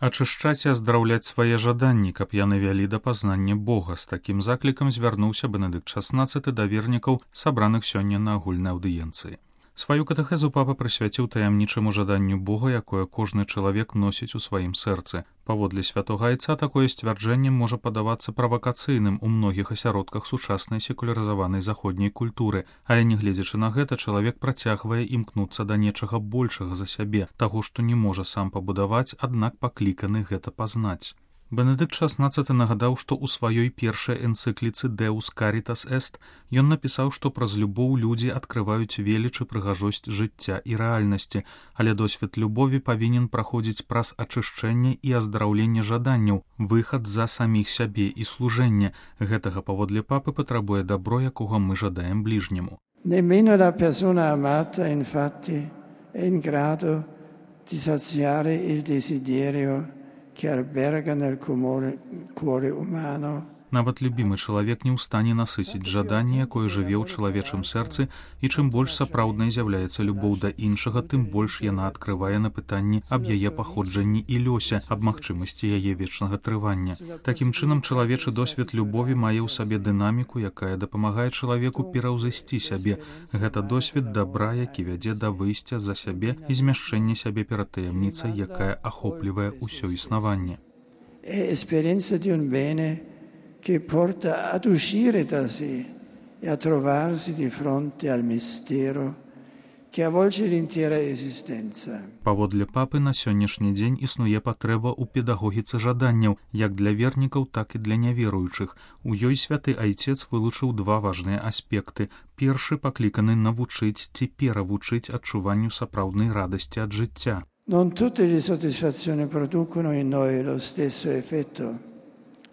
Ачышчаць і аздараўляць свае жаданні, каб яны вялі да пазнання Бога. З такім заклікам звярнуўся Бенедыкт XVI да вернікаў, сабраных сёння на агульнай аўдыенцыі. Сваю катэхезу папа прысвяціў таямнічаму жаданню Бога, якое кожны чалавек носіць у сваім сэрцы. Паводле святога айца такое сцвярджэнне можа падавацца правакацыйным у многіх асяродках сучаснай секулярызаванай заходняй культуры, але нягледзячы на гэта, чалавек працягвае імкнуцца да нечага большага за сябе, таго, што не можа сам пабудаваць, аднак пакліканы гэта пазнаць. Бенедыкт XVI нагадаў, што ў сваёй першай энцыкліцы «Deus Caritas Est» ён напісаў, што праз любоў людзі адкрываюць веліч і прыгажосць жыцця і рэальнасці, але досвед любові павінен праходзіць праз ачышчэнне і аздараўленне жаданняў, выхад за саміх сябе і служэнне. Гэтага паводле папы патрабуе дабро, якога мы жадаем бліжняму. Nemmeno la persona amata, infatti, è in grado di saziare il desiderio che alberga nel cuore umano. Нават любімы чалавек не ў стане насыціць жаданне, якое жыве ў чалавечым сэрцы, і чым больш сапраўднай з'яўляецца любоў да іншага, тым больш яна адкрывае на пытанні аб яе паходжанні і лёсе, аб магчымасці яе вечнага трывання. Такім чынам, чалавечы досвед любові мае ў сабе дынаміку, якая дапамагае чалавеку пераўзысці сябе. Гэта досвед дабра, які вядзе да выйсця за сябе і змяшчэння сябе перад таямніцай, якая ахоплівае ўсё існаванне. Esperienza di un bene che porta ad uscire da sé e a trovarsi di fronte al mistero che avvolge l'intera esistenza. Паводле папы, на сённяшні дзень існуе патрэба ў педагогіцы жаданняў, як для вернікаў, так і для няверуючых. У ёй святы айцец вылучыў два важныя аспекты. Першы пакліканы навучыць ці перавучыць адчуванню сапраўднай радасці ад жыцця. Non tutte le soddisfazioni producono in noi lo stesso effetto.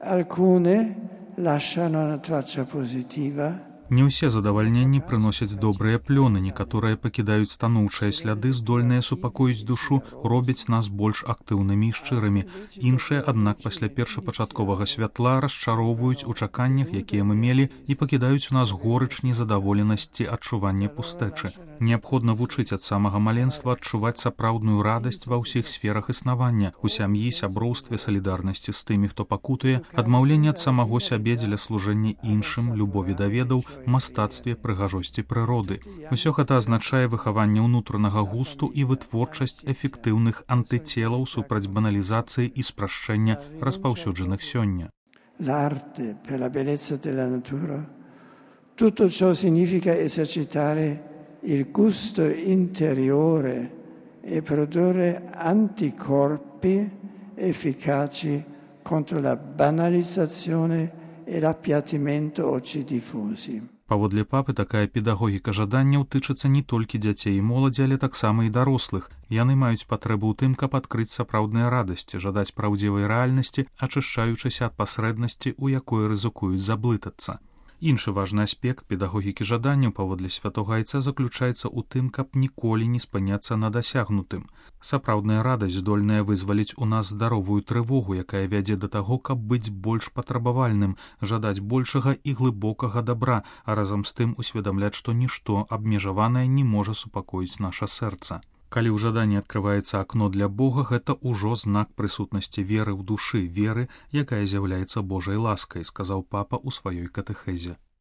Alcune lasciano una traccia positiva. Не ўсе задавальненні прыносяць добрыя плёны, некаторыя пакідаюць станоўчыя сляды, здольныя супакоіць душу, робяць нас больш актыўнымі і шчырымі. Іншыя, аднак, пасля першапачатковага святла расчароўваюць у чаканнях, якія мы мелі, і пакідаюць у нас горыч, незадаволенасць ці адчуванне пустэчы. Неабходна вучыць ад самага маленства адчуваць сапраўдную радасць ва ўсіх сферах існавання, у сям'і, сяброўстве, салідарнасці з тымі, хто пакутуе, адмаўленне ад самого сябе дзеля служэння іншым, любові да ведаў, мастацтве, прыгажосці прыроды. Усё гэта азначае выхаванне ўнутранага густу і вытворчасць эфектыўных антыцелаў супраць баналізацыі і спрашчэння распаўсюджаных сёння. L'arte per la bellezza della natura. Tutto ciò significa esercitare il gusto interiore e produrre anticorpi efficaci contro la banalizzazione e l'appiattimento oggi diffusi. Паводле папы, такая педагогіка жаданняў тычыцца не толькі дзяцей і моладзі, але таксама і дарослых. Яны маюць патрэбу ў тым, каб адкрыць сапраўдныя радасці, жадаць праўдзівай рэальнасці, ачышчаючыся ад пасрэднасці, у якой рызыкуюць заблытацца. Іншы важны аспект педагогікі жаданняў паводле святога айца заключаецца ў тым, каб ніколі не спыняцца на дасягнутым. Сапраўдная радасць здольная вызваліць у нас здаровую трывогу, якая вядзе да таго, каб быць больш патрабавальным, жадаць большага і глыбокага дабра, а разам з тым усведамляць, што нішто абмежаванае не можа супакоіць наша сэрца. Калі ў жаданні адкрываецца акно для Бога, гэта ўжо знак прысутнасці веры ў душы, веры, якая з'яўляецца Божай ласкай, сказаў папа ў сваёй катэхезе.